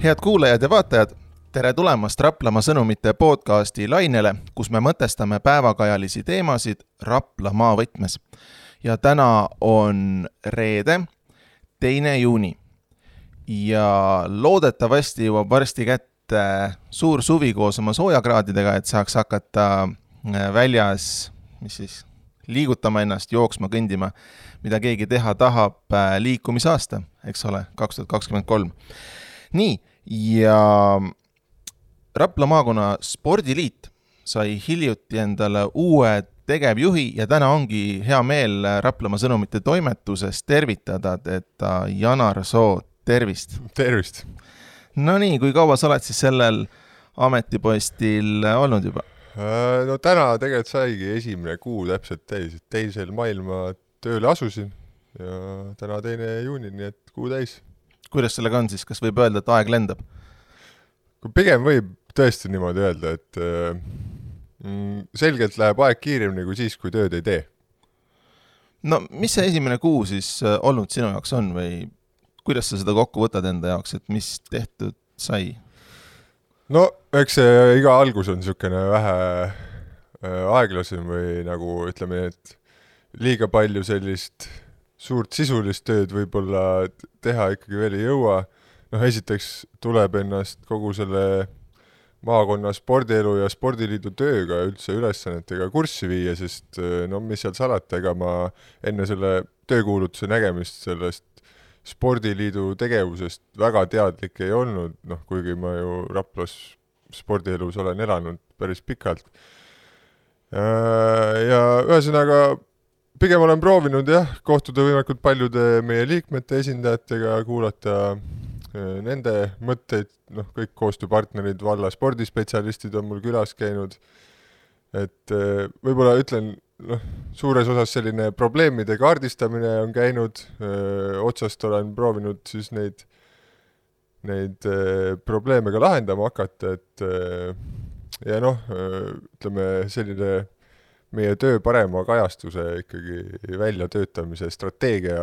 Head kuulajad ja vaatajad, tere tulemast Raplamaa sõnumite podcasti lainele, kus me mõtestame päevakajalisi teemasid Raplamaa võtmes. Ja täna on reede, 2. juuni ja loodetavasti jõuab varsti kätte suur suvi koos oma soojakraadidega, et saaks hakata väljas liigutama ennast, jooksma, kõndima, mida keegi teha tahab liikumisaasta, eks ole, 2023. Nii, ja Rapla maakonna spordiliit sai hiljuti endale uue tegevjuhi ja täna ongi hea meel Raplamaa sõnumite toimetuses tervitada, et Janar Soo, tervist! Tervist! No nii, kui kaua sa oled siis sellel ametipostil olnud juba? No täna tegelikult saigi esimene kuu täpselt täis, et 2. mail ma tööle asusin ja täna 2. juuni, nii et kuu täis. Kuidas sellega on siis? Kas võib öelda, et aeg lendab? Pigem võib tõesti niimoodi öelda, et selgelt läheb aeg kiiremini kui siis, kui tööd ei tee. No mis see esimene kuu siis olnud sinu jaoks on või kuidas sa seda kokku võtad enda jaoks, et mis tehtud sai? No eks see iga algus on niisugune vähe aeglasem või nagu ütleme, et liiga palju sellist suurt sisulist tööd võib-olla teha ikkagi veel ei jõua. Esiteks tuleb ennast kogu selle maakonna spordielu ja spordiliidu tööga üldse ülesannetega kurssi viia, sest mis seal salata, ega ma enne selle töökuulutuse nägemist sellest spordiliidu tegevusest väga teadlik ei olnud, kuigi ma ju Raplas spordielus olen elanud päris pikalt. Ja ühesõnaga pigem olen proovinud kohtuda võimalikult paljude meie liikmete esindajatega, kuulata nende mõtteid, kõik koostööpartnerid, valla spordispetsialistid on mul külas käinud, et võib-olla ütlen, suures osas selline probleemide kaardistamine on käinud, otsast olen proovinud siis neid probleeme ka lahendama hakata, et ja ütleme selline meie töö parema kajastuse ikkagi väljatöötamise strateegia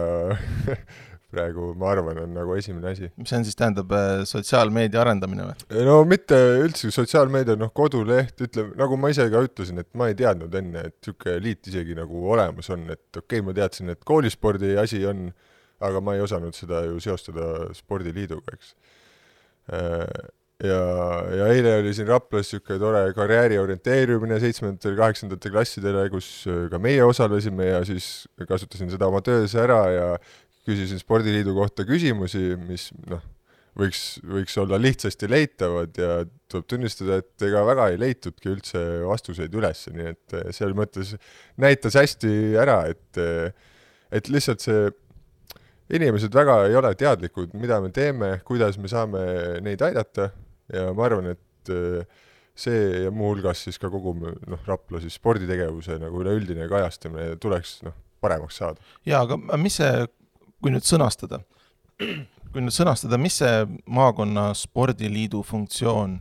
praegu, ma arvan, on nagu esimene asi. Mis see siis tähendab sotsiaalmeedia arendamine või? No mitte üldse sotsiaalmeedia, koduleht, ütleme, nagu ma ise ka ütlesin, et ma ei teadnud enne, et niisugune liit isegi nagu olemas on, et okei, ma teadsin, et koolispordi asi on, aga ma ei osanud seda ju seostada spordiliiduga, eks. Ja eile oli siin Raplas niisugune tore karjääri orienteerimine 7. ja 8. klassidele, kus ka meie osalesime ja siis kasutasin seda oma töös ära ja küsisin spordiliidu kohta küsimusi, mis võiks olla lihtsasti leitavad ja tuleb tunnistada, et ega väga ei leitudki üldse vastuseid üles, nii et seal mõttes näitas hästi ära, et lihtsalt see inimesed väga ei ole teadlikud, mida me teeme, kuidas me saame neid aidata ja ma arvan, et see ja muu hulgas siis ka kogu Rapla siis sporditegevuse nagu üleüldine kajastamine tuleks paremaks saada. Jaa, aga mis see, kui nüüd sõnastada, mis see maakonna spordiliidu funktsioon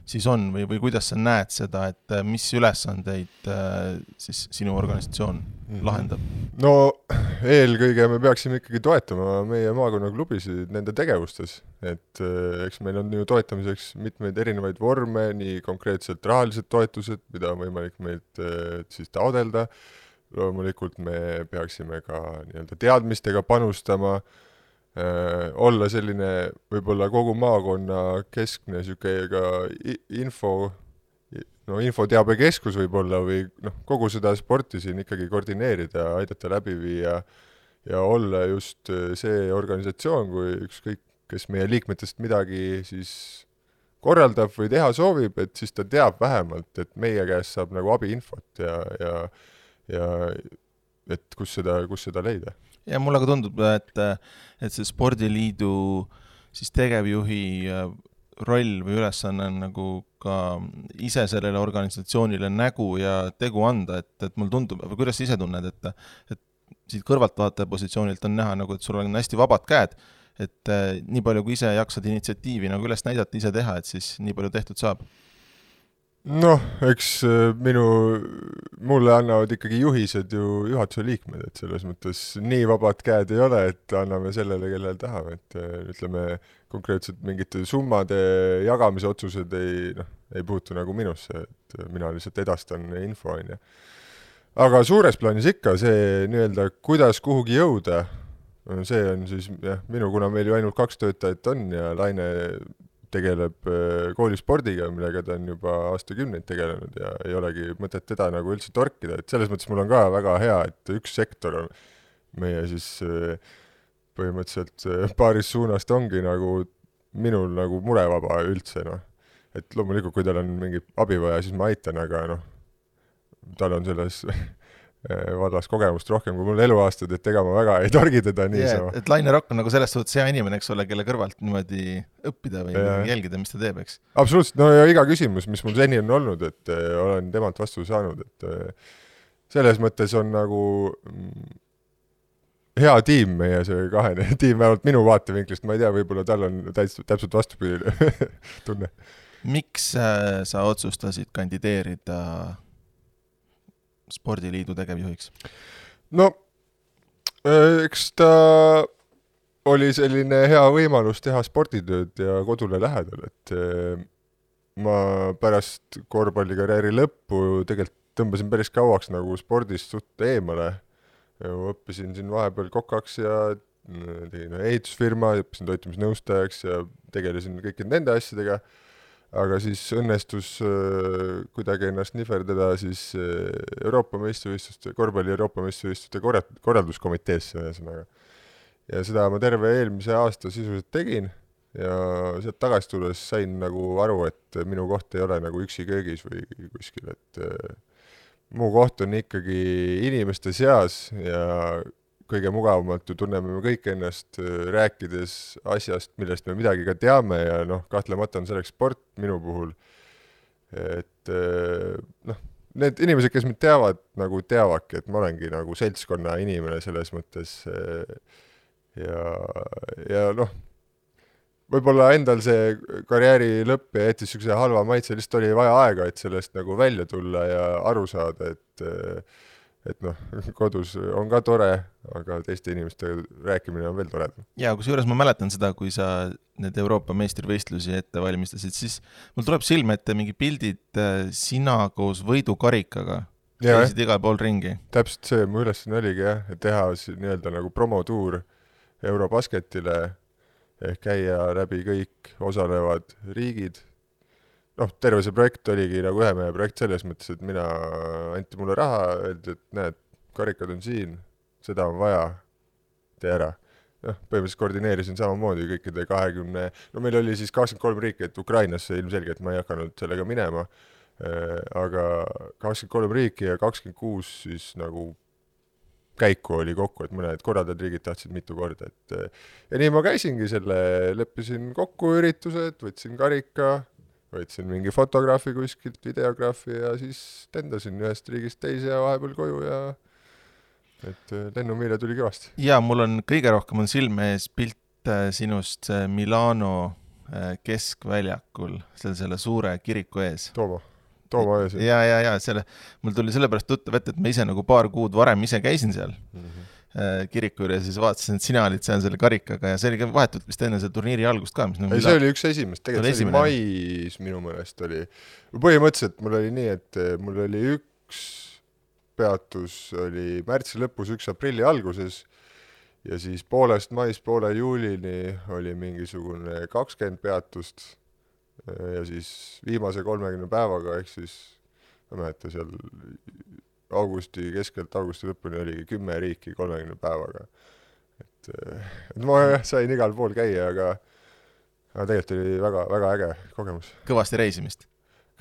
siis on või kuidas sa näed seda, et mis ülesandeid siis sinu organisatsioon lahendab? No eelkõige me peaksime ikkagi toetama meie maakonna klubisid nende tegevustes, et eks meil on ju toetamiseks mitmeid erinevaid vorme, nii konkreetselt rahalised toetused, mida on võimalik meilt siis taodelda. Loomulikult me peaksime ka teadmistega panustama, olla selline võib-olla kogu maakonna keskne ka infoteabekeskus võib-olla või kogu seda sporti siin ikkagi koordineerida, aidata läbi viia ja olla just see organisatsioon, kui ükskõik, kes meie liikmetest midagi siis korraldab või teha soovib, et siis ta teab vähemalt, et meie käest saab nagu abiinfot ja et kus seda leida. Ja mulle ka tundub, et see spordiliidu siis tegevjuhi roll või ülesanne on nagu ka ise sellele organisatsioonile nägu ja tegu anda, et mul tundub, või kuidas sa ise tunned, et siit kõrvaltvaataja positsioonilt on näha, nagu, et sul on hästi vabad käed, et nii palju kui ise jaksad initsiatiivi nagu üles näidata, ise teha, et siis nii palju tehtud saab. Noh, eks mulle annavad ikkagi juhised ju juhatuse liikmed, et selles mõttes nii vabad käed ei ole, et anname sellele, kellele tahame, et ütleme, konkreetselt mingite summade jagamise otsused ei puutu nagu minusse, et mina lihtsalt edastan info, on ju. Aga suures plaanis ikka see nii-öelda, kuidas kuhugi jõuda, see on siis jah, kuna meil ju ainult 2 töötajat on ja Laine tegeleb koolispordiga, millega ta on juba aastakümneid tegelenud ja ei olegi mõtet teda nagu üldse torkida, et selles mõttes mul on ka väga hea, et üks sektor on meie siis põhimõtteliselt paaris suunast ongi nagu minul nagu murevaba üldse, noh. Et loomulikult, kui tal on mingi abi vaja, siis ma aitan, aga noh, tal on selles vallas kogemust rohkem kui mul eluaastad, et ega ma väga ei torgi teda niisama. Et Laine Rokk on nagu selles suhtes hea inimene, eks ole, kelle kõrvalt niimoodi õppida või jälgida, mis ta teeb, eks? Absoluutselt, no ja iga küsimus, mis mul seni on olnud, et olen temalt vastu saanud, et selles mõttes on nagu hea tiim meie see kahene tiim, vähemalt minu vaatevinklist, ma ei tea, võib-olla tal on täpselt vastupidine tunne. Miks sa otsustasid kandideerida Spordiliidu tegevjuhiks? No, eks ta oli selline hea võimalus teha sporditööd ja kodule lähedal, et ma pärast korvpallikarjääri lõppu tegelikult tõmbasin päris kauaks nagu spordist suht eemale. Õppisin siin vahepeal kokaks ja tegin ehitusfirma, õppisin toitumisnõustajaks ja tegelesin kõikide nende asjadega. Aga siis õnnestus kuidagi ennast nihverdada siis Euroopa meistrivõistluste, korvpalli Euroopa meistrivõistluste korralduskomiteesse ühesõnaga. Ja seda ma terve eelmise aasta sisuliselt tegin ja sealt tagasi tulles sain nagu aru, et minu koht ei ole nagu üksi köögis või kuskil, et mu koht on ikkagi inimeste seas ja kõige mugavamalt ju tunneme me kõik ennast rääkides asjast, millest me midagi ka teame ja noh, kahtlemata on selleks sport minu puhul. Et noh, need inimesed, kes mind teavad, nagu teavadki, et ma olengi nagu seltskonna inimene selles mõttes ja noh, võib-olla endal see karjääri lõpp ja jättis sükse halva maitse, lihtsalt oli vaja aega, et sellest nagu välja tulla ja aru saada, et noh, kodus on ka tore, aga teiste inimestega rääkimine on veel toredam. Ja kus juures ma mäletan seda, kui sa need Euroopa meistrivõistlusi ette valmistasid, siis mul tuleb silme ette mingi pildid sina koos võidukarikaga. Käisid igal pool ringi. Täpselt see, mu ülesanne oligi jah, et teha nii-öelda nagu promotuur Eurobasketile ehk käia läbi kõik osalevad riigid. Noh, terve see projekt oligi nagu ühe mehe projekt selles mõttes, et anti mulle raha, öeldi, et näed, karikad on siin, seda on vaja, tee ära. Noh, põhimõtteliselt koordineerisin samamoodi kõikide 20, no meil oli siis 23 riiki, et Ukrainasse ilmselgelt ma ei hakanud sellega minema, aga 23 riiki ja 26 siis nagu käiku oli kokku, et mõned korraldajad riigid tahtsid mitu korda, ja nii ma käisingi selle, leppisin kokku üritused, võtsin karika, võtsin mingi fotograafi kuskilt, videograafi ja siis tendasin ühest riigist teise ja vahepeal koju ja et lennumiile tuli kõvasti. Ja mul on kõige rohkem on silme ees pilt sinust Milano keskväljakul, selle suure kiriku ees. Tooma ees. Ja mul tuli sellepärast tuttav ette, et ma ise nagu paar kuud varem ise käisin seal kiriku juures ja siis vaatasin, et sina olid seal selle karikaga ja see oli vahetult vist enne see turniiri algust ka. Ei, see oli üks esimest, tegelikult see oli mais minu mõnest oli. Põhimõtteliselt mul oli nii, et mul oli üks peatus oli märtsi lõpus, 1 aprilli alguses ja siis poolest mais, poole juulini oli mingisugune 20 peatust ja siis viimase 30 päevaga ehk siis ma mäleta seal keskelt augusti lõpuni oligi 10 riiki 30 päevaga. Et ma sain igal pool käia, aga tegelikult oli väga, väga äge kogemus. Kõvasti reisimist?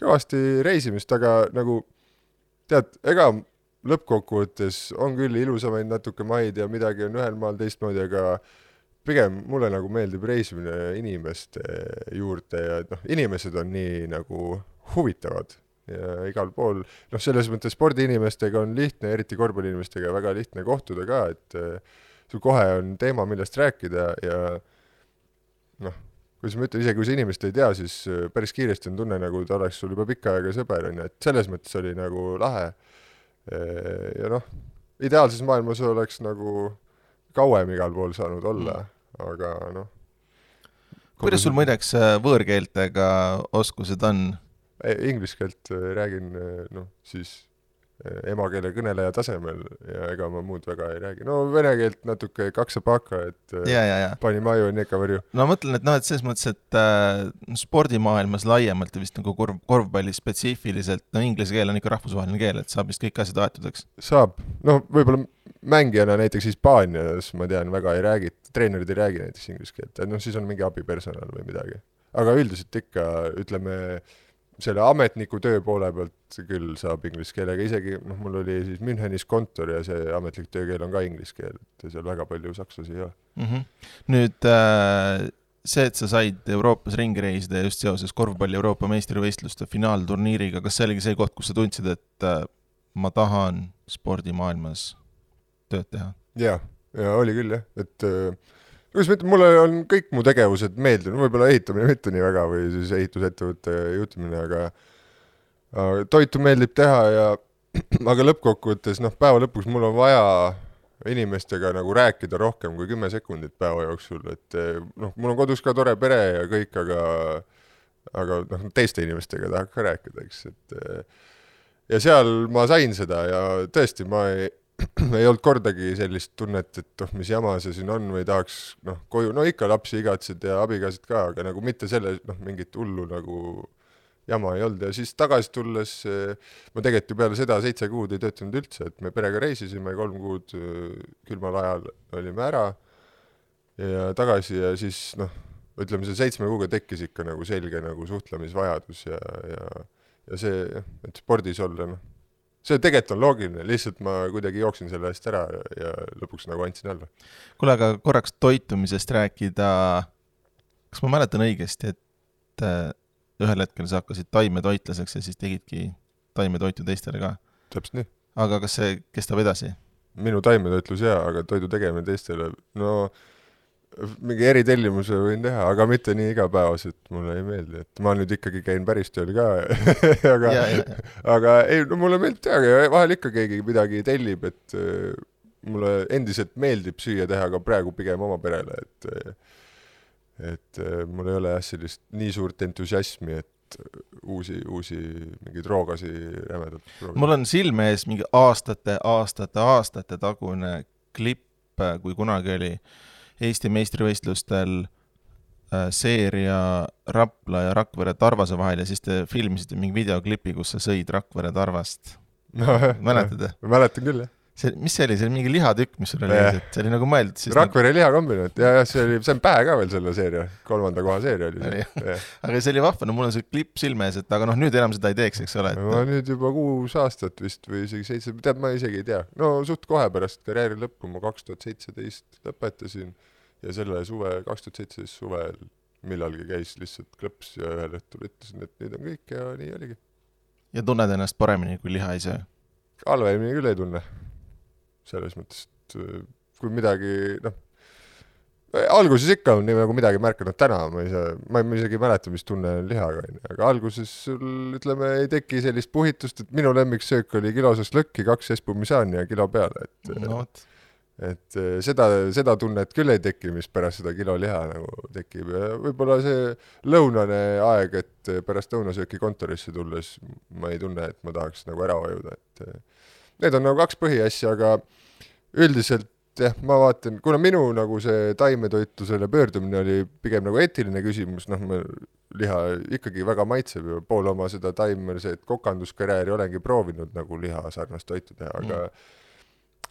Kõvasti reisimist, aga nagu tead, ega lõppkokkuvõttes on küll ilusamaid natuke maid ja midagi on ühel maal teistmoodi, aga pigem mulle nagu meeldib reisimine inimeste juurde ja noh, inimesed on nii nagu huvitavad ja igal pool, noh selles mõttes spordiinimestega on lihtne, eriti korvpalliinimestega väga lihtne kohtuda ka, et sul kohe on teema, millest rääkida ja noh, kuidas ma ütlen, isegi kui see inimest ei tea, siis päris kiiresti on tunne, nagu ta oleks sul juba pikka aega sõber, on ju, et selles mõttes oli nagu lahe. Ja noh, ideaalses maailmas oleks nagu kauem igal pool saanud olla, aga noh. Kuidas sul muideks võõrkeeltega oskused on? Inglise keelt räägin siis emakeele kõneleja tasemel ja ega ma muud väga ei räägi. No vene keelt natuke kaksapaka, et pani maju nekka varju. No mõtlen, et selles mõttes, et spordimaailmas laiemalt ja vist nagu korvpalli spetsiifiliselt, inglise keel on ikka rahvusvaheline keel, et saab vist kõik asjad aetutakse. Saab. Võib-olla mängijana näiteks Hispaanias, ma tean, väga ei räägi, treenerid ei räägi näiteks inglise keelt, et siis on mingi abipersonal või midagi. Aga üldiselt ikka, ütleme, selle ametniku töö poole pealt küll saab inglise keelega, isegi mul oli siis Münchenis kontor ja see ametlik töökeel on ka inglise keel, et seal väga palju sakslasi ei ole. Nüüd see, et sa said Euroopas ringi reisida just seoses korvpalli Euroopa meistrivõistluste finaalturniiriga, kas see oligi see koht, kus sa tundsid, et ma tahan spordimaailmas tööd teha? Ja oli küll jah, et kuidas ma ütlen, mulle on kõik mu tegevused meeldinud, võib-olla ehitamine mitte nii väga või siis ehitusettevõtte juhtimine, aga toitu meeldib teha ja aga lõppkokkuvõttes, päeva lõpuks mul on vaja inimestega nagu rääkida rohkem kui 10 sekundit päeva jooksul, et mul on kodus ka tore pere ja kõik, aga teiste inimestega tahaks ka rääkida, eks, et ja seal ma sain seda ja tõesti, ma ei olnud kordagi sellist tunnet, et mis jama see siin on või tahaks koju, ikka lapsi igatsid ja abikäsid ka, aga nagu mitte selle mingit hullu nagu jama ei olnud ja siis tagasi tulles ma tegelikult ju peale seda 7 kuud ei töötanud üldse, et me perega reisisime 3 kuud külmal ajal olime ära ja tagasi ja siis ütleme see 7 kuuga tekkis ikka nagu selge nagu suhtlemisvajadus ja see, et spordis olla see tegelikult on loogiline, lihtsalt ma kuidagi jooksin selle eest ära ja lõpuks nagu andsin alla. Kuule, aga korraks toitumisest rääkida, kas ma mäletan õigesti, et ühel hetkel sa hakkasid taimetoitlaseks ja siis tegidki taimetoitu teistele ka? Täpselt nii. Aga kas see kestab edasi? Minu taimetoitlus aga toidu tegemine teistele, mingi eritellimuse võin teha, aga mitte nii igapäevaselt, mulle ei meeldi, et ma nüüd ikkagi käin päris tööl ka, aga ei, mulle meeldib teha ja vahel ikka keegi midagi tellib, et mulle endiselt meeldib süüa teha, aga praegu pigem oma perele, et mul ei ole sellist nii suurt entusiasmi, et uusi mingeid roogasi rämedalt proovida. Mul on silme ees mingi aastate tagune klipp, kui kunagi oli Eesti meistrivõistlustel seeria Rapla ja Rakvere Tarvase vahel ja siis te filmisite mingi videoklipi, kus sa sõid Rakvere Tarvast. Mäletad? Mäletan küll, jah. Mis see oli? See oli mingi lihatükk, mis sul oli? See oli nagu mõeldud siis... Rakvere lihakombinaat, ja see on pähe ka veel selle seeria, 3. koha seeria oli see. Aga see oli vahva, mul on see klipp silme ees, et aga nüüd enam seda ei teeks, eks ole? Ma nüüd juba 6 aastat vist või isegi 7, tead, ma isegi ei tea. Suht kohe pärast karjääri lõppu ma 2017 lõpetasin ja selle 2017 suvel millalgi käis lihtsalt klõps ja ühel õhtul ütlesin, et nüüd on kõik ja nii oligi. Ja tunned ennast paremini, kui liha ei söö? Halvemini küll ei tunne. Selles mõttes, et kui midagi, alguses ikka on nii nagu midagi märkanud täna, ma isegi mäleta, mis tunne on lihaga, aga alguses sul, ütleme, ei teki sellist puhitust, et minu lemmiksöök oli kilosast lõkki, 2 espumisaani ja kilo peale, et seda tunnet küll ei teki, mis pärast seda kilo liha nagu tekib ja võib-olla see lõunane aeg, et pärast lõunasööki kontorisse tulles ma ei tunne, et ma tahaks nagu ära vajuda, et need on nagu 2 põhiasja, aga üldiselt jah, ma vaatan, kuna minu nagu see taimetoitlusele pöördumine oli pigem nagu eetiline küsimus, liha ikkagi väga maitseb ja pool oma seda taimerseed kokanduskarjääri olengi proovinud nagu liha sarnast toitu teha,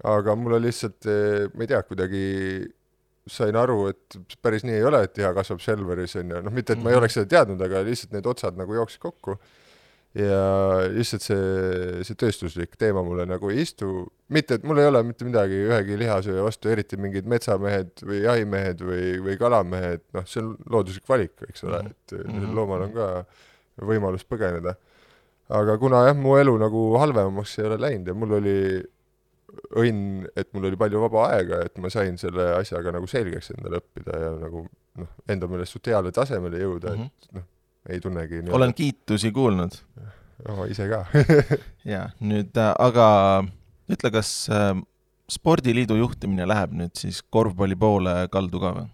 aga mulle lihtsalt, ma ei tea, kuidagi sain aru, et päris nii ei ole, et liha kasvab Selveris, mitte et ma ei oleks seda teadnud, aga lihtsalt need otsad nagu jooksid kokku ja lihtsalt see tööstuslik teema mulle nagu ei istu, mitte et mul ei ole mitte midagi ühegi lihasööja vastu, eriti mingid metsamehed või jahimehed või kalamehed, see on looduslik valik, eks ole, et loomal on ka võimalus põgeneda, aga kuna mu elu nagu halvemaks ei ole läinud ja mul oli õnn, et mul oli palju vaba aega, et ma sain selle asjaga nagu selgeks endale õppida ja nagu enda meelest suht heale tasemele jõuda, et ei tunnegi olen kiitusi kuulnud. Ise ka. ja nüüd, aga ütle, kas spordiliidu juhtimine läheb nüüd siis korvpalli poole kaldu ka või?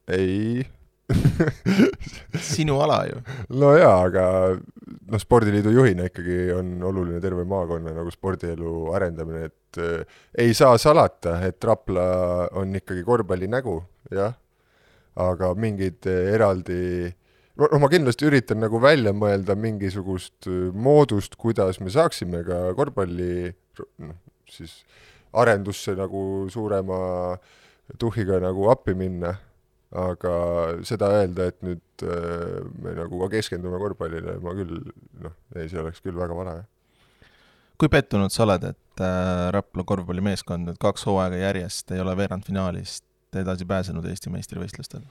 Ei. Sinu ala ju. No jaa, aga spordiliidu juhina ikkagi on oluline terve maakonna nagu spordielu arendamine, et ei saa salata, et Rapla on ikkagi korvpalli nägu, jah, aga mingid eraldi, ma kindlasti üritan nagu välja mõelda mingisugust moodust, kuidas me saaksime ka korvpalli siis arendusse nagu suurema tuhiga nagu appi minna, aga seda öelda, et nüüd me nagu ka keskendume korvpallile, ma küll, see oleks küll väga vana. Kui pettunud sa oled, et Rapla korvpallimeeskond nüüd 2 hooaega järjest ei ole veerandfinaalist edasi pääsenud Eesti meistrivõistlustel?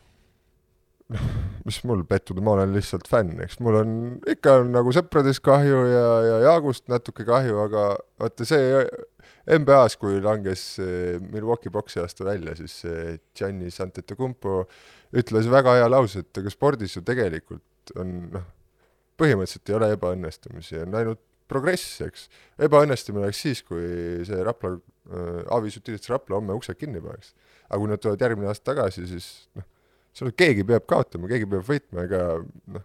Mis mul pettuda, ma olen lihtsalt fänn, eks mul on ikka nagu sõprades kahju ja Jaagust natuke kahju, aga vaata see NBA-s, kui langes Milwaukee boksi aasta välja, siis Giannis Antetokounmpo ütles väga hea lause, et aga spordis ju tegelikult on, põhimõtteliselt ei ole ebaõnnestumisi, on ainult progress, eks. Ebaõnnestumine oleks siis, kui see Rapla, Aavis Utilitse Rapla homme uksed kinni paneks. Aga kui nad tulevad järgmine aasta tagasi, siis keegi peab kaotama, keegi peab võitma, ega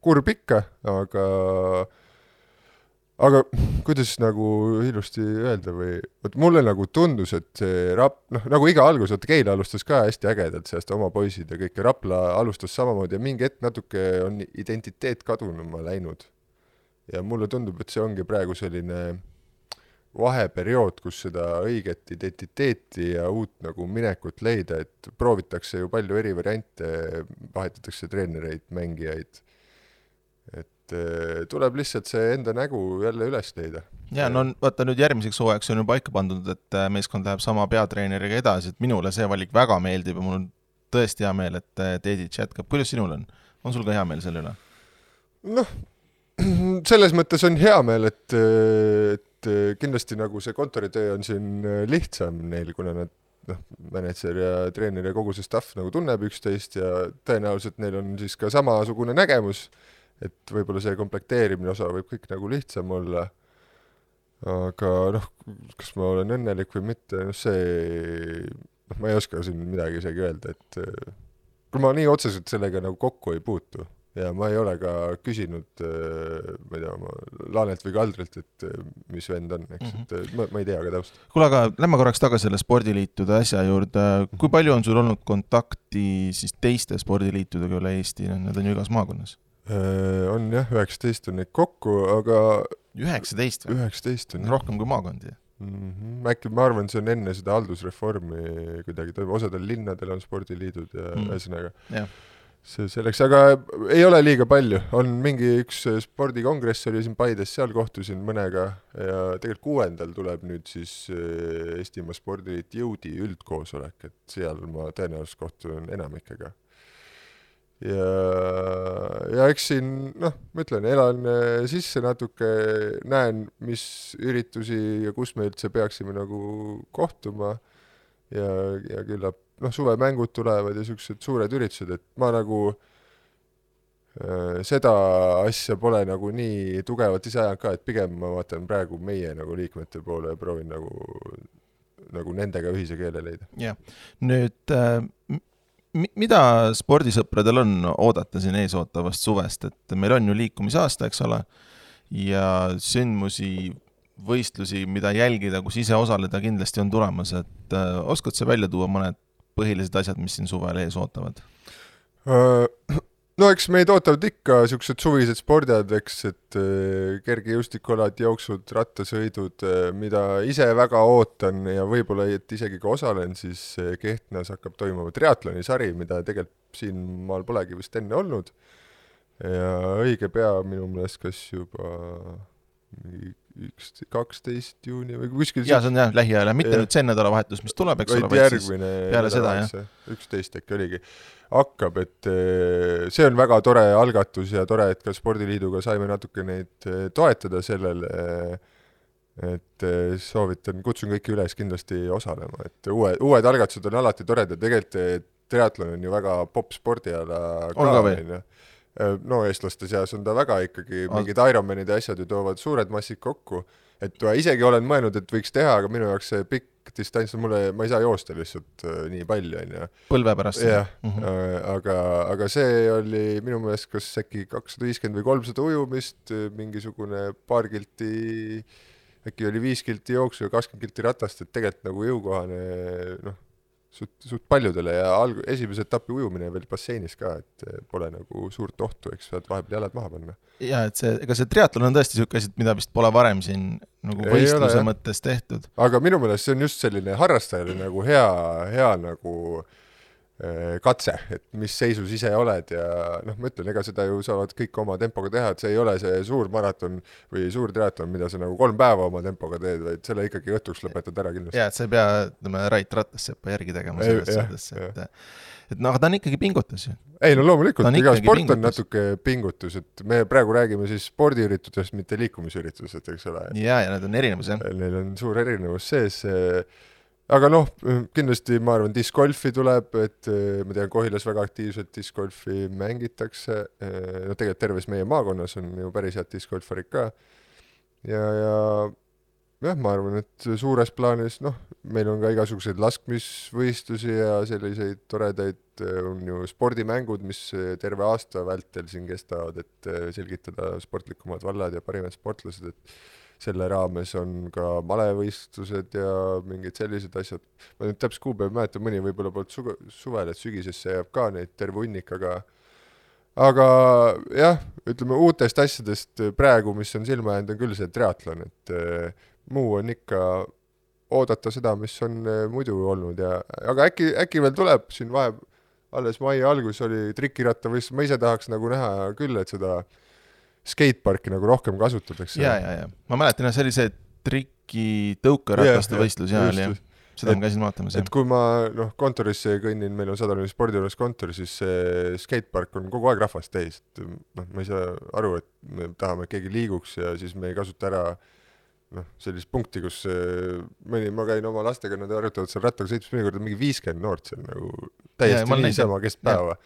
kurb ikka, aga kuidas nagu ilusti öelda või, mulle nagu tundus, et see nagu iga algus, Keila alustas ka hästi ägedalt sellest oma poisid ja kõik, ja Rapla alustas samamoodi ja mingi hetk natuke on identiteet kadunuma läinud. Ja mulle tundub, et see ongi praegu selline vaheperiood, kus seda õiget identiteeti ja uut nagu minekut leida, et proovitakse ju palju eri variante, vahetatakse treenereid, mängijaid, et tuleb lihtsalt see enda nägu jälle üles leida. Ja, vaata nüüd järgmiseks hooajaks on ju paika pandud, et meeskond läheb sama peatreeneriga edasi, et minule see valik väga meeldib ja mul on tõesti hea meel, et Dedic jätkab. Kuidas sinul on? On sul ka hea meel selle üle? Selles mõttes on hea meel, et kindlasti nagu see kontoritöö on siin lihtsam neil, kuna nad manager ja treener ja kogu see staff nagu tunneb üksteist ja tõenäoliselt neil on siis ka samasugune nägemus, et võib-olla see komplekteerimine osa võib kõik nagu lihtsam olla, aga kas ma olen õnnelik või mitte, ma ei oska siin midagi isegi öelda, et kui ma nii otseselt sellega nagu kokku ei puutu ja ma ei ole ka küsinud ma ei tea, Laanelt või Kaldrilt, et mis vend on, eks, et ma ei tea ka täpselt. Kuule, aga lähme korraks tagasi selle spordiliitude asja juurde. Kui palju on sul olnud kontakti siis teiste spordiliitudega üle Eesti? Need on ju igas maakonnas. On jah, 19 on neid kokku, aga 19 või? 19 on. Rohkem kui maakondi. Äkki ma arvan, see on enne seda haldusreformi kuidagi, osadel linnadel on spordiliidud ja ühesõnaga. See selleks, aga ei ole liiga palju. On mingi üks spordikongress oli siin Paides, seal kohtusin mõnega ja tegelikult 6. tuleb nüüd siis Eestimaa spordiliit Jõudi üldkoosolek, et seal ma tõenäoliselt kohtun enamikega. Ja eks siin, ma ütlen, elan sisse natuke, näen, mis üritusi ja kus me üldse peaksime nagu kohtuma ja küllap, suvemängud tulevad ja sellised suured üritused, et ma nagu seda asja pole nagu nii tugevalt ise ajanud ka, et pigem ma vaatan praegu meie nagu liikmete poole ja proovin nagu nendega ühise keele leida. Ja, nüüd mida spordisõpradel on oodata siin eesootavast suvest, et meil on ju liikumisaasta, eks ole, ja sündmusi, võistlusi, mida jälgida, kus ise osaleda kindlasti on tulemas, et oskad sa välja tuua mõned põhilised asjad, mis siin suvel ees ootavad? Eks meid ootavad ikka sellised suvised spordiad, eks, et kergejõustikolad, jooksud, rattasõidud, mida ise väga ootan ja võib-olla et isegi ka osalen, siis Kehtnas hakkab toimuma triatlonisari, mida tegelikult siin maal polegi vist enne olnud. Ja õige pea minu meelest kas juba 12. juuni või kuskil... Ja, see on jah, lähiajal, mitte nüüd see nädalavahetus, mis tuleb, eks ole, vaid järgmine peale seda, jah. 11 äkki oligi. Hakkab, et see on väga tore algatus ja tore, et ka spordiliiduga saime natuke neid toetada sellele et soovitan, kutsun kõiki üles kindlasti osalema, et uued algatused on alati toredad, tegelikult triatlon on ju väga popp spordiala ka, no eestlaste seas on ta väga ikkagi, mingid Ironmanid ja asjad ju toovad suured massid kokku, et isegi olen mõelnud, et võiks teha, aga minu jaoks see pikk distants, ma ei saa joosta lihtsalt nii palju, on ju. Põlve pärast. Jah, aga see oli minu meelest kas äkki 250 või 300 ujumist, mingisugune paar kilti, äkki oli 5 kilti jooksu ja 20 kilti ratast, et tegelikult nagu jõukohane, noh, suht paljudele ja esimese etapi ujumine veel basseinis ka, et pole nagu suurt ohtu, eks saad vahepeal jalad maha panna. Ja, et ega see triatlon on tõesti selline asi, mida vist pole varem siin nagu võistluse mõttes tehtud. Aga minu meelest see on just selline harrastajale nagu hea nagu katse, et mis seisus ise oled ja noh, ma ütlen, ega seda ju saavad kõik oma tempoga teha, et see ei ole see suur maraton või suur triatlon, mida sa nagu 3 päeva oma tempoga teed, vaid selle ikkagi õhtuks lõpetad ära kindlasti. Ja, et sa ei pea, Rait Ratassepa järgi tegema selles suhtes, et no, aga ta on ikkagi pingutus ju. Ei, no loomulikult, iga sport on natuke pingutus, et me praegu räägime siis spordiüritustest, mitte liikumisüritused, eks ole. Ja need on erinevus, jah. Neil on suur erinevus sees. Aga noh, kindlasti ma arvan, discgolfi tuleb, et ma tean, Kohilas väga aktiivselt discgolfi mängitakse, no tegelikult terves meie maakonnas on ju päris head discgolfarid ka ja ma arvan, et suures plaanis, noh, meil on ka igasuguseid laskmisvõistlusi ja selliseid toredaid on ju spordimängud, mis terve aasta vältel siin kestavad, et selgitada sportlikumad vallad ja parimad sportlased, et selle raames on ka malevõistlused ja mingid sellised asjad. Ma nüüd täpselt kuupäev mäletan, mõni võib-olla poolt suvel, et sügisesse jääb ka neid terve hunnik, aga jah, ütleme uutest asjadest praegu, mis on silma jäänud, on küll see triatlon, et muu on ikka oodata seda, mis on muidu olnud aga äkki veel tuleb siin alles mai algus oli trikirattavõistlus, ma ise tahaks nagu näha küll, et seda skateparki nagu rohkem kasutatakse. Ja. Ma mäletan, see oli see triki tõukerataste võistlus, seda ma käisin vaatamas. Et kui ma kontorisse kõnnin, meil on Sadalini spordijuures kontor, siis see skatepark on kogu aeg rahvast täis. Ma ei saa aru, et me tahame, et keegi liiguks ja siis me ei kasuta ära sellist punkti, kus ma käin oma lastega, nad arutavad seal rattaga sõitmas, mõnikord on mingi 50 noort seal nagu täiesti niisama kestpäeva.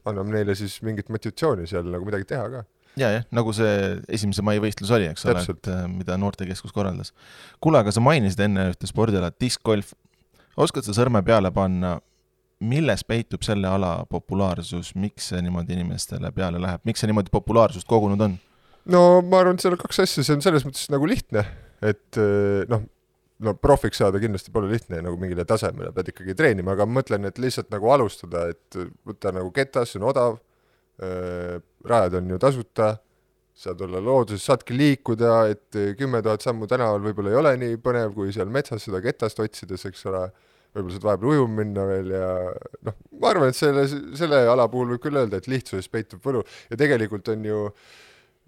Anname neile siis mingit motivatsiooni seal nagu midagi teha ka. Ja, nagu see 1. mai võistlus oli, eks ole, et mida noortekeskus korraldas. Kuule, aga sa mainisid enne ühte spordiala, discgolf. Oskad sa sõrme peale panna, milles peitub selle ala populaarsus, miks see niimoodi inimestele peale läheb, miks see niimoodi populaarsust kogunud on? No ma arvan, et seal on 2 asja, see on selles mõttes nagu lihtne, et no profiks saada kindlasti pole lihtne nagu mingile tasemele, pead ikkagi treenima, aga mõtlen, et lihtsalt nagu alustada, et võtta nagu ketas, see on odav, rajad on ju tasuta, saad olla looduses, saadki liikuda, et 10 000 sammu tänaval võib-olla ei ole nii põnev, kui seal metsas seda ketast otsides, eks ole, võib-olla saad vahepeal ujuma minna veel ja ma arvan, et selle ala puhul võib küll öelda, et lihtsuses peitub võlu ja tegelikult on ju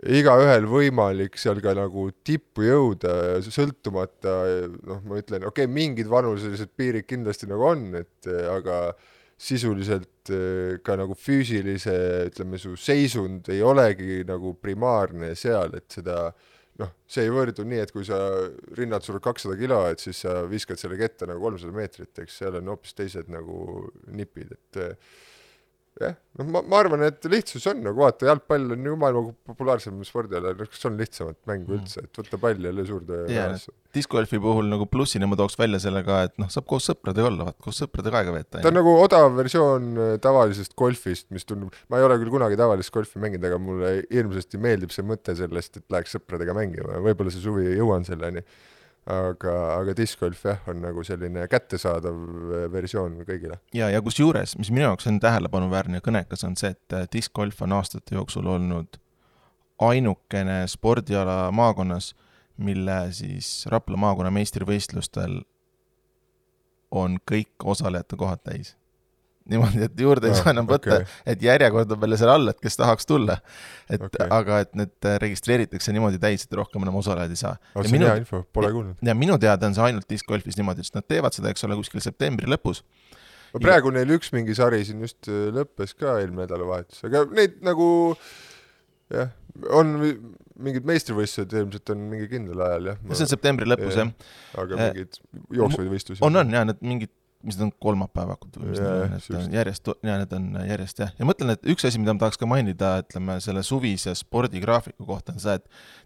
igaühel võimalik seal ka nagu tippu jõuda, sõltumata, ma ütlen, mingid vanuselised piirid kindlasti nagu on, aga sisuliselt ka nagu füüsilise, ütleme, su seisund ei olegi nagu primaarne seal, et seda, see ei võrdu nii, et kui sa rinnad sulle 200 kilo, et siis sa viskad selle ketta nagu 300 meetrit, eks seal on hoopis teised nagu nipid, et jah, ma arvan, et lihtsus on, nagu vaata, jalgpall on ju maailma populaarsem spordiala, kas on lihtsamat mängu üldse, et võtta pall jälle suurde vääresse. Discgolfi puhul nagu plussina ma tooks välja sellega, et saab koos sõpradega olla, koos sõpradega aega veeta. Ta on nagu odav versioon tavalisest golfist, mis tundub, ma ei ole küll kunagi tavalist golfi mänginud, aga mulle hirmsasti meeldib see mõte sellest, et läheks sõpradega mängima, võib-olla see suvi jõuan selleni. Aga discgolf on nagu selline kättesaadav versioon kõigile. Ja kus juures, mis minu jaoks on tähelepanuväärne ja kõnekas, on see, et discgolf on aastate jooksul olnud ainukene spordiala maakonnas, mille siis Rapla maakonna meistrivõistlustel on kõik osalejate kohad täis. Niimoodi, et juurde ei saa enam võtta, et järjekord on veel seal all, et kes tahaks tulla. Aga et need registreeritakse niimoodi täis, et rohkem enam osalejad ei saa. See on hea info, pole kuulnud. Ja minu teada on see ainult discgolfis niimoodi, et nad teevad seda, eks ole, kuskil septembri lõpus. Praegu neil üks mingi sari siin just lõppes ka eelmine nädalavahetus, aga neid nagu jah, on mingid meistrivõistlused ilmselt on mingi kindel ajal, jah. See on septembri lõpus, jah. Aga mingid jooksvaid võistlusi. On, jah, need mingid, mis need on kolmapäevakud või järjest, need on järjest, jah. Ja mõtlen, et üks asi, mida ma tahaks ka mainida, ütleme, selle suvise spordigraafiku kohta on see,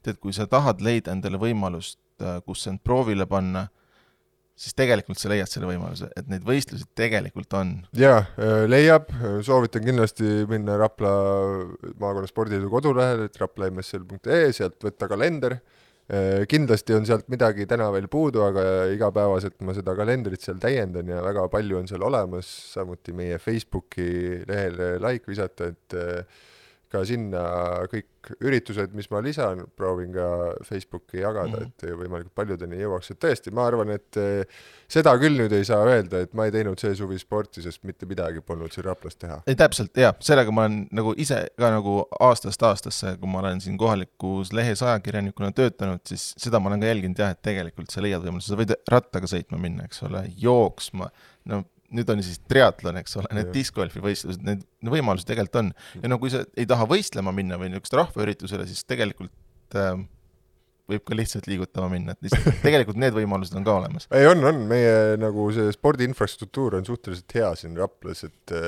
et kui sa tahad leida endale võimalust, kus end proovile panna, siis tegelikult sa leiad selle võimaluse, et neid võistlusi tegelikult on. Jaa, leiab, soovitan kindlasti minna Rapla maakonna spordiliidu kodulehel, raplaMSL.ee, sealt võtta kalender. Kindlasti on sealt midagi täna veel puudu, aga igapäevaselt ma seda kalendrit seal täiendan ja väga palju on seal olemas, samuti meie Facebooki lehele like visata, et ka sinna kõik üritused, mis ma lisan, proovin ka Facebooki jagada, et võimalikult paljudeni jõuaks. Et tõesti, ma arvan, et seda küll nüüd ei saa öelda, et ma ei teinud see suvi sporti, sest mitte midagi polnud siin Raplas teha. Ei, täpselt, jah. Sellega ma olen nagu ise ka nagu aastast aastasse, kui ma olen siin kohalikus lehes ajakirjanikuna töötanud, siis seda ma olen ka jälginud, jah, et tegelikult sa leiad võimalus. Sa võid rattaga sõitma minna, eks ole, jooksma, nüüd on siis triatlon, eks ole, need discgolfi võistlused, need võimalused tegelikult on. Ja kui sa ei taha võistlema minna või niisugust rahvaüritusele, siis tegelikult võib ka lihtsalt liigutama minna. Et tegelikult need võimalused on ka olemas. Ei, on. Meie nagu see spordiinfrastruktuur on suhteliselt hea siin Raplas, et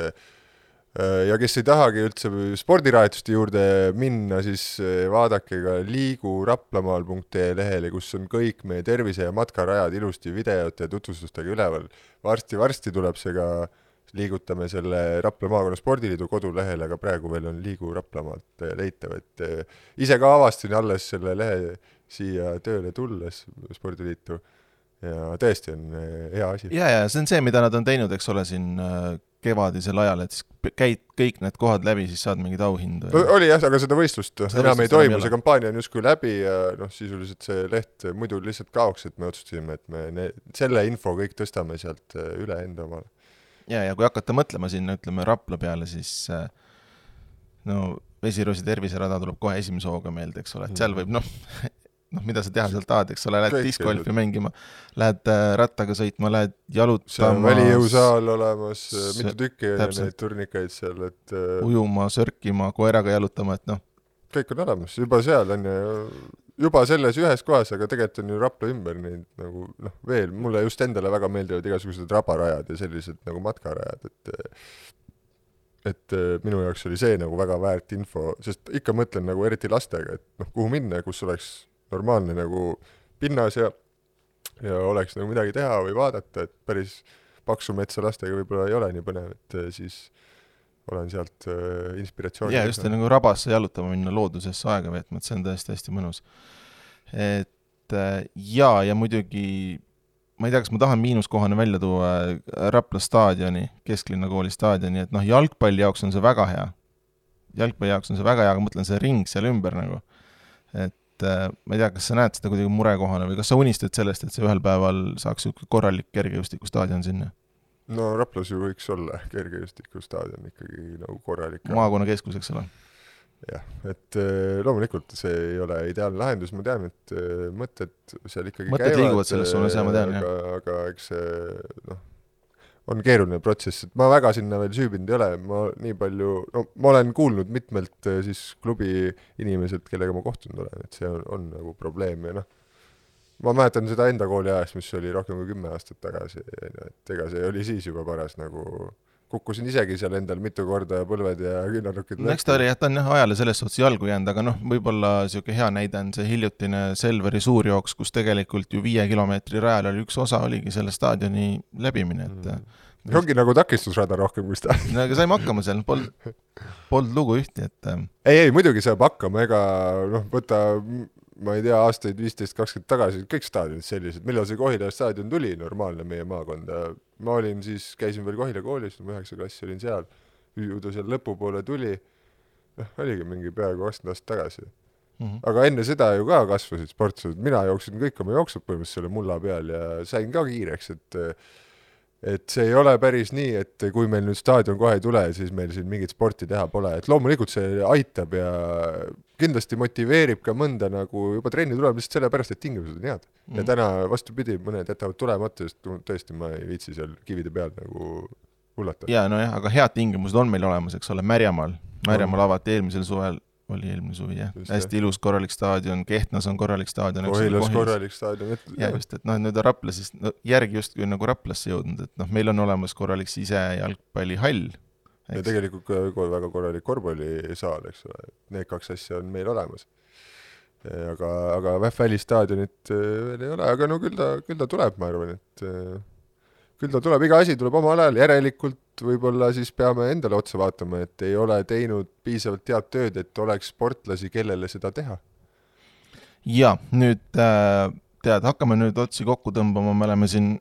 ja kes ei tahagi üldse spordiraetuste juurde minna, siis vaadake ka liiguraplamaal.ee lehele, kus on kõik meie tervise- ja matkarajad ilusti videote ja tutvustustega üleval. Varsti tuleb see ka, liigutame selle Rapla maakonna spordiliidu kodulehele, aga praegu veel on Liigu Raplamaalt leitav, et ise ka avastasin alles selle lehe siia tööle tulles spordiliitu ja tõesti on hea asi. Ja see on see, mida nad on teinud, eks ole, siin kevadisel ajal, et siis käid kõik need kohad läbi, siis saad mingid auhindu. Oli jah, aga seda võistlust enam ei toimu, see kampaania on justkui läbi ja sisuliselt see leht muidu lihtsalt kaoks, et me otsustasime, et me selle info kõik tõstame sealt üle enda omale. Ja kui hakata mõtlema sinna, ütleme Rapla peale, siis Vesiroosi terviserada tuleb kohe esimese hooga meelde, eks ole, et seal võib mida sa teha sealt tahad, eks ole, lähed discgolfi mängima, lähed rattaga sõitma, lähed jalutama. See on välijõusaal olemas, mitu tükki ja neid turnikaid seal, et ujuma, sörkima, koeraga jalutama, et kõik on olemas, juba seal on juba selles ühes kohas, aga tegelikult on ju Rapla ümber neid nagu veel, mulle just endale väga meeldivad igasugused rabarajad ja sellised nagu matkarajad, et minu jaoks oli see nagu väga väärt info, sest ikka mõtlen nagu eriti lastega, et kuhu minna, kus oleks normaalne nagu pinnas ja oleks nagu midagi teha või vaadata, et päris paksu metsa lastega võib-olla ei ole nii põnev, et siis olen sealt inspiratsiooni. Ja just nagu rabasse jalutama minna loodusesse aega veetma, et see on tõesti hästi mõnus. Et ja muidugi, ma ei tea, kas ma tahan miinuskohane välja tuua Rapla staadioni, Kesklinna kooli staadioni, et jalgpalli jaoks on see väga hea. Jalgpalli jaoks on see väga hea, aga mõtlen see ring seal ümber nagu. Et ma ei tea, kas sa näed seda kuidagi murekohana või kas sa unistad sellest, et see ühel päeval saaks korralik kergejõustiku staadion sinna? No Raplas ju võiks olla kergejõustiku staadion ikkagi nagu korralik. Maakonna keskus, eks ole. Jah, et loomulikult see ei ole ideaalne lahendus, ma tean, et mõtted seal ikkagi mõtted liiguvad selles suunas, ja ma tean, aga eks see on keeruline protsess, et ma väga sinna veel süübinud ei ole, ma nii palju, ma olen kuulnud mitmelt siis klubi inimesed, kellega ma kohtunud olen, et see on nagu probleem ja ma mäletan seda enda kooli ajast, mis oli rohkem kui 10 aastat tagasi, et ega see oli siis juba paras nagu kukkusin isegi seal endal mitu korda põlved ja küünarnukid. Eks ta oli, ta on ajale selles suhtes jalgu jäänud, aga võib-olla selline hea näide on see hiljutine Selveri suurjooks, kus tegelikult ju 5 kilomeetri rajal oli üks osa, oligi selle staadioni läbimine. Ongi nagu takistusrada rohkem, kus ta. Aga saime hakkama seal, polnud lugu ühti, et Ei, muidugi saab hakkama, ega võtta, ma ei tea, aastaid 15-20 tagasi, kõik staadionid sellised, millal see Kohila staadion tuli normaalne meie maakonda. Ma olin siis, käisin veel Kohila koolis, 9. klassi olin seal, ta seal lõpupoole tuli, oligi mingi peaaegu 20 aastat tagasi. Aga enne seda ju ka kasvasid sportsused, mina jooksin kõik oma jooksud põhimõtteliselt selle mulla peal ja sain ka kiireks, et see ei ole päris nii, et kui meil nüüd staadion kohe ei tule, siis meil siin mingit sporti teha pole, et loomulikult see aitab ja kindlasti motiveerib ka mõnda nagu juba trenni tuleb lihtsalt selle pärast, et tingimused on head. Ja täna vastupidi, mõned jätavad tulemata, sest tõesti ma ei viitsi seal kivide peal nagu hullata. Ja, aga head tingimused on meil olemas, eks ole, Märjamaal avati eelmisel suvel oli eelmine suvi, jah. Just, hästi ilus korralik staadion, Kehtnas on korralik staadion. Ohilas korralik staadion. Ja just, et nüüd on Rapla siis järgi just kui nagu Raplasse jõudnud, et meil on olemas korralik sise jalgpallihall. Ja tegelikult väga korralik korvpallisaal, eks ole. Need kaks asja on meil olemas. Aga välistaadionit veel ei ole, aga no küll ta tuleb, ma arvan, et küll ta tuleb, iga asi tuleb omal ajal, järelikult võib-olla siis peame endale otsa vaatama, et ei ole teinud piisavalt head tööd, et oleks sportlasi, kellele seda teha. Ja, nüüd hakkame nüüd otsi kokku tõmbama, me oleme siin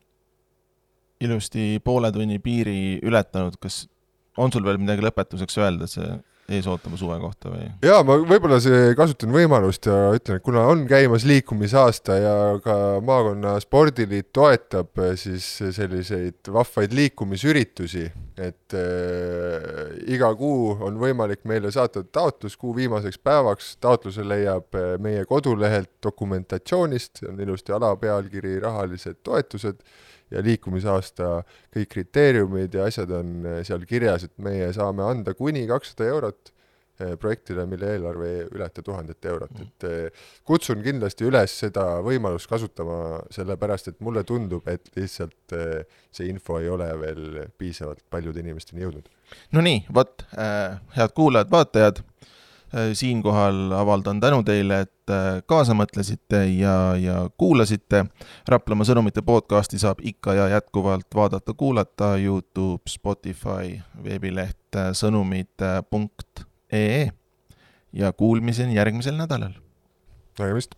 ilusti poole tunni piiri ületanud, kas on sul veel midagi lõpetuseks öelda, see ees ootama suve kohta või? Jaa, ma võib-olla kasutan võimalust ja ütlen, et kuna on käimas liikumisaasta ja ka maakonna spordiliit toetab siis selliseid vahvaid liikumisüritusi, et iga kuu on võimalik meile saata taotlus kuu viimaseks päevaks. Taotluse leiab meie kodulehelt dokumentatsioonist, on ilusti alapealkiri rahalised toetused ja liikumisaasta kõik kriteeriumid ja asjad on seal kirjas, et meie saame anda kuni 200 eurot projektile, mille eelarve ületa 1000 eurot. Et kutsun kindlasti üles seda võimalust kasutama, sellepärast, et mulle tundub, et lihtsalt see info ei ole veel piisavalt paljude inimesteni jõudnud. No nii, head kuulajad, vaatajad, siinkohal avaldan tänu teile, et kaasa mõtlesite ja kuulasite. Raplamaa sõnumite podcasti saab ikka ja jätkuvalt vaadata-kuulata YouTube, Spotify, veebileht sõnumid.ee ja kuulmiseni järgmisel nädalal. Nägemist!